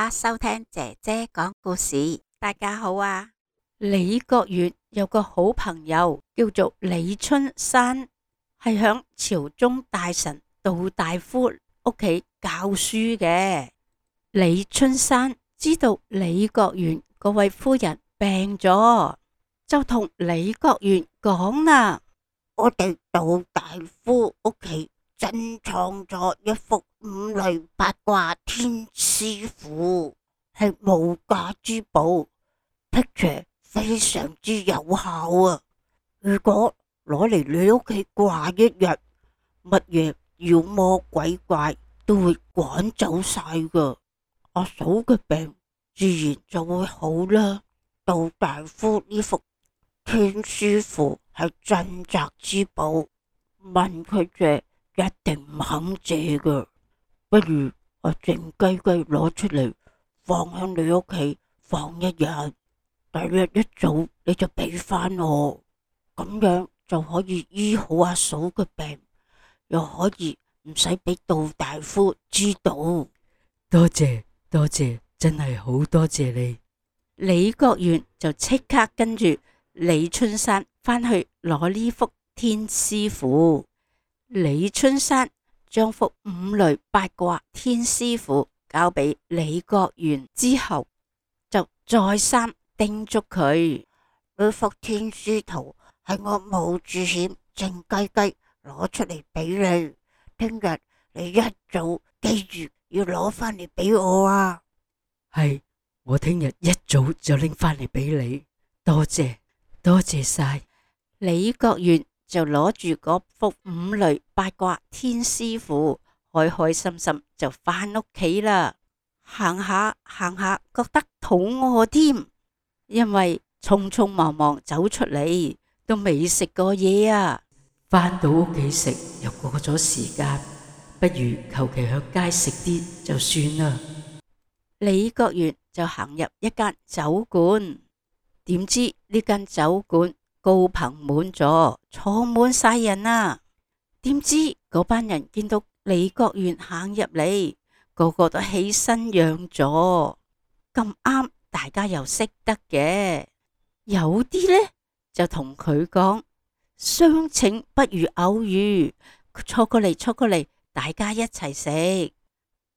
家收聽姐姐講故事。大家好啊！李國元有個好朋友叫做李春山，係響朝中大臣杜大夫屋企教書嘅。李春山知道李國元嗰位夫人病咗，就同李國元講啦：我哋杜大夫屋企珍藏咗一幅五雷八卦天師符，係無價之寶，picture 非常之有效啊！如果攞嚟你屋企掛一日，乜嘢妖魔鬼怪都會趕走晒噶，阿嫂嘅病自然就會好啦。杜大夫呢幅天師符係鎮宅之寶，問佢借一定唔肯借噶，不如我靜雞雞攞出嚟放喺你屋企放一日，第二日一早你就俾翻我，咁樣就可以醫好阿嫂嘅病，又可以唔使俾杜大夫知道。多謝多謝，真係好多謝你。李國元就即刻跟住李春山返去攞呢幅天師符。李春山將幅五雷八卦天師符交俾李國元之後，就再三叮囑佢：呢幅天師圖係我冒住險靜雞雞攞出嚟俾你，聽日你一早記住要攞翻嚟俾我啊！係，我聽日一早就拎翻嚟俾你，多謝多謝晒。李國元就攞住嗰幅五雷八卦天師符，開開心心就返屋企啦。行下行下，覺得肚餓添，因為匆匆忙忙走出嚟，都未食過嘢啊。返到屋企食又過咗時間，不如求其響街食啲就算啦。李國元就行入一間酒館，點知呢間酒館高朋滿座，坐滿晒人啊！點知嗰班人見到李國元行入嚟，個個都起身讓座。咁啱大家又識得嘅，有啲呢就同佢講：相請不如偶遇，坐過嚟坐過嚟，大家一齊食。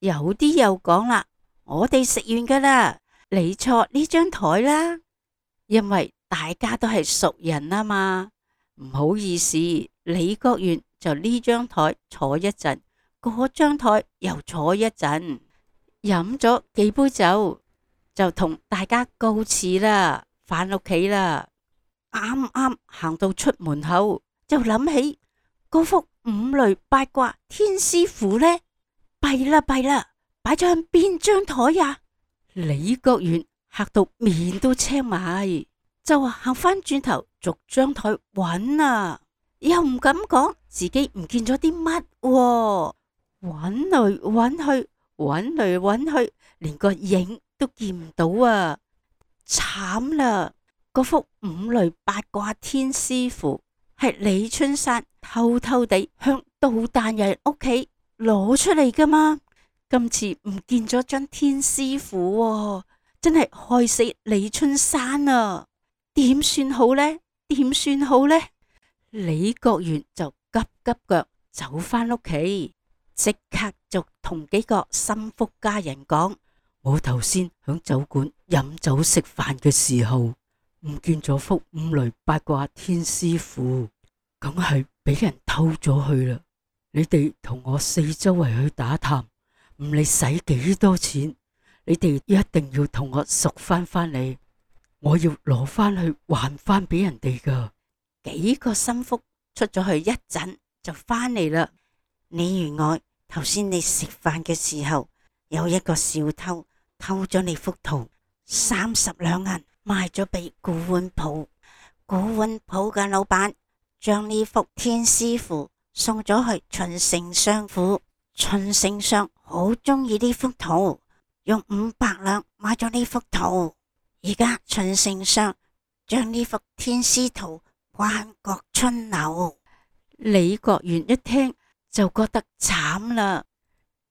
有啲又講啦：我哋食完噶啦，你坐呢張台啦。因為大家都係熟人啊嘛，唔好意思，李國元就呢張台坐一陣，嗰張台又坐一陣，飲咗幾杯酒，就同大家告辭啦，返屋企啦。啱啱行到出門口，就諗起嗰幅五雷八卦天師符呢，弊啦弊啦，擺咗喺邊張台呀？李國元嚇到面都青埋，就話行翻轉頭逐張台揾啊，又唔敢講自己唔見咗啲乜，揾嚟揾去，揾嚟揾去，連個影都見唔到啊！慘啦！嗰幅五雷八卦天師符係李春山偷偷地向杜大人屋企攞出嚟噶嘛，今次唔見咗張天師符，真係害死李春山啊！點算好呢？點算好呢？李國元就急急腳走返屋企，即刻就同幾個心腹家人講：我頭先響酒館飲酒食飯嘅時候，唔見咗幅五雷八卦天師符，梗係俾人偷咗去啦。你哋同我四周圍去打探，唔理使幾多錢，你哋一定要同我贖翻嚟，我要攞翻去還翻俾人哋噶。幾個心腹出咗去一陣就翻嚟啦。你原來頭先你食飯嘅時候，有一個小偷偷咗你幅圖，30兩銀賣咗俾古玩鋪，古玩鋪嘅老闆將呢幅天師符送咗去秦丞相府，秦丞相好中意呢幅圖，用500兩買咗呢幅圖。而家秦丞相將呢幅天師圖掛喺國春樓。李國元一聽就覺得慘啦。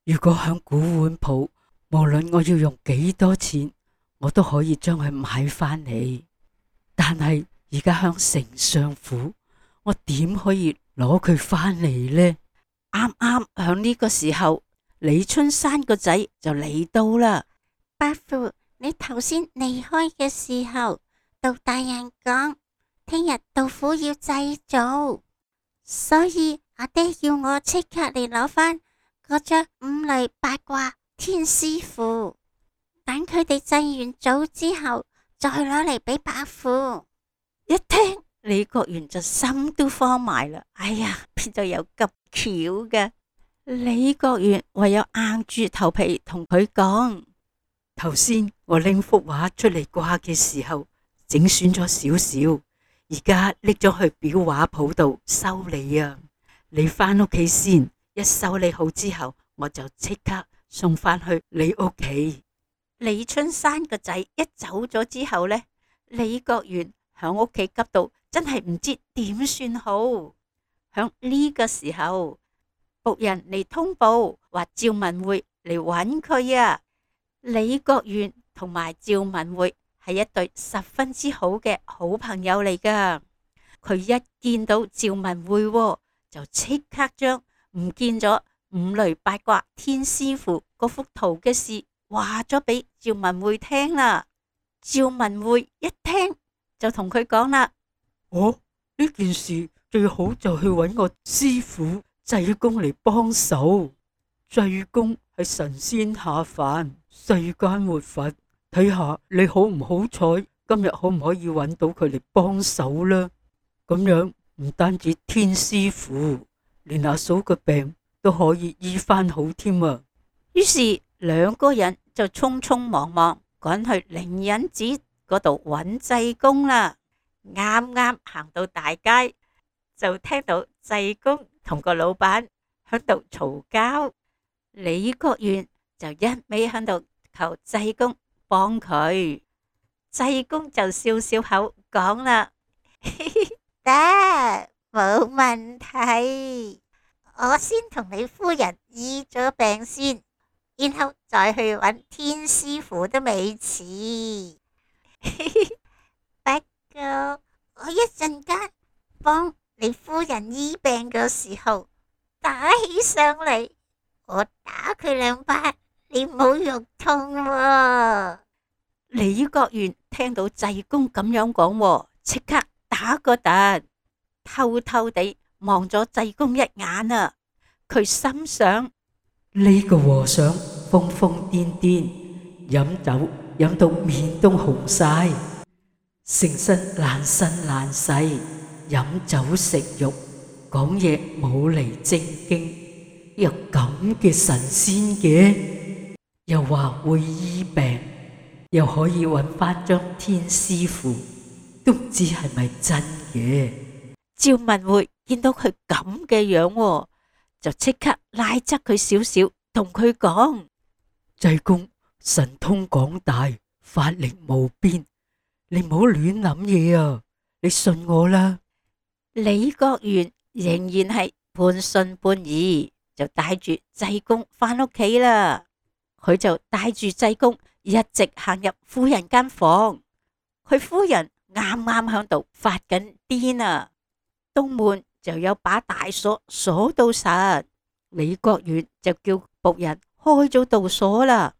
如果響古玩鋪無論我要用幾多錢，我都可以將佢買返嚟。但係而家響城上府，我點可以攞佢返嚟呢？啱啱響呢個時候，李春山個仔就嚟到啦。伯父，你頭先離開嘅時候，杜大人講聽日杜甫要祭祖，所以阿爹要我即刻嚟攞返嗰張五雷八卦天師符，等佢哋祭完祖之後，再攞嚟俾伯父。一聽李國元就心都慌埋啦。哎呀，邊度有咁巧嘅？李國元唯有硬住頭皮同佢講：頭先我拎幅畫出嚟掛嘅時候，整損咗少少，而家拎咗去裱畫鋪度修理啊。你返屋企先，一修理好之後，我就即刻送返去你屋企。李春山個仔一走咗之後呢，李國元響屋企急到真係唔知點算好。響呢個時候，僕人嚟通報話趙文匯嚟揾佢啊。李國元同埋趙文匯係一對十分之好嘅好朋友嚟噶。佢一見到趙文匯，就即刻將唔見咗五雷八卦天師符嗰幅圖嘅事話咗俾趙文匯聽啦。趙文匯一聽就同佢講啦：呢件事最好就去揾我師父濟公嚟幫手。濟公係神仙下凡，世間活佛，睇下你好唔好彩，今日可唔可以揾到佢嚟幫手啦？咁樣唔單止天師符，連阿嫂嘅病都可以醫翻好添啊！於是兩個人就匆匆忙忙趕去靈隱寺嗰度揾濟公啦。啱啱行到大街，就聽到濟公同個老闆喺度嘈交。李國元就一味喺度求濟公幫佢，濟公就笑笑口講啦：得，冇問題，我先同你夫人醫咗病先，然後再去揾天師傅都未遲。不過我一陣間幫你夫人醫病嘅時候，打起上嚟，我打佢兩巴，你冇肉痛喎。李國元聽到濟公咁樣講，即刻打個突，偷偷地望咗濟公一眼啊！佢心想：呢個和尚瘋瘋癲癲，飲酒飲到面都紅晒，成身爛身爛世，飲酒食肉，講嘢冇嚟正經，有咁嘅神仙嘅，又話會醫病，又可以揾翻張天師符，都唔知係咪真嘅。趙文匯見到佢咁嘅樣，就即刻拉側佢少少，同佢講：濟公神通廣大，法力無邊，你唔好亂諗嘢啊！你信我啦。李國元仍然係半信半疑，就帶住濟公返屋企啦。佢就帶住濟公一直行入夫人間房，佢夫人啱啱響度發緊癲啊！東門就有把大鎖鎖到實，李國元就叫僕人開咗道鎖啦。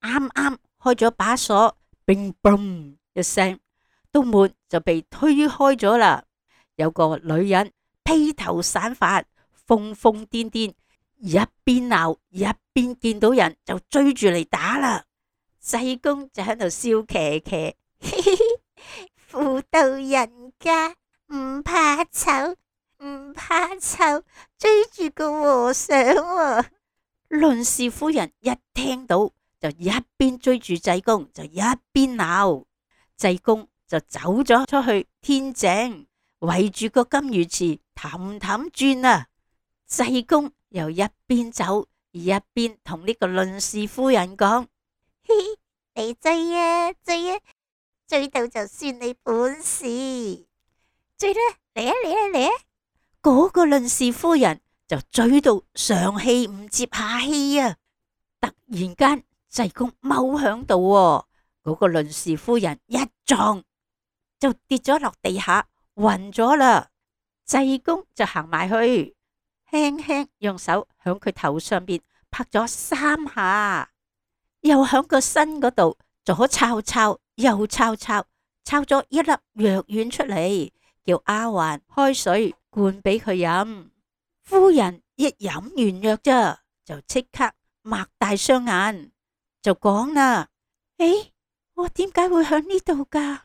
啱啱開咗把鎖，乒乓一聲，東門就被推開咗啦。有個女人披頭散髮，瘋瘋癲癲，一邊鬧一邊見到人就追住嚟打啦。濟公就喺度笑騎騎，婦道人家唔怕醜，唔怕醜，追住個和尚喎。論事夫人一聽到就一邊追住濟公，就一邊鬧。濟公就走咗出去天井，圍住個金魚池氹氹轉啊。濟公又一邊走一邊同呢個論事夫人講：你追啊追啊，追到就算你本事，追啦，嚟啊嚟啊嚟啊！嗰個論事夫人就追到上氣唔接下氣啊！突然間濟公踎響度喎，嗰個倫氏夫人一撞就跌咗落地下，暈咗啦。濟公就行埋去，輕輕用手響佢頭上邊拍咗3下，又響個身嗰度左抄抄右抄抄，抄咗一粒藥丸出嚟，叫丫鬟開水灌俾佢飲。夫人一飲完藥咋，就即刻擘大雙眼，就講啦：誒，我點解會響呢度噶？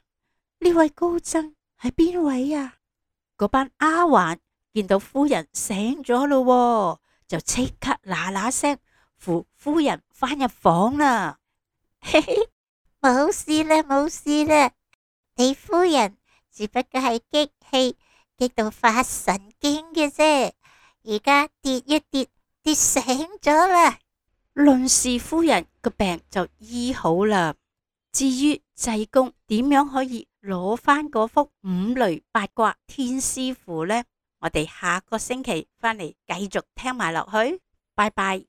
呢位高僧係邊位啊？嗰班丫鬟見到夫人醒咗咯，就即刻嗱嗱聲扶夫人返入房啦。嘿嘿，冇事啦，冇事啦，你夫人只不過係激氣，激到發神經嘅啫，而家跌一跌，跌醒咗啦。倫氏夫人個病就醫好啦。至於濟公點樣可以攞返嗰幅五雷八卦天師符呢？我哋下個星期返嚟繼續聽埋落去。拜拜。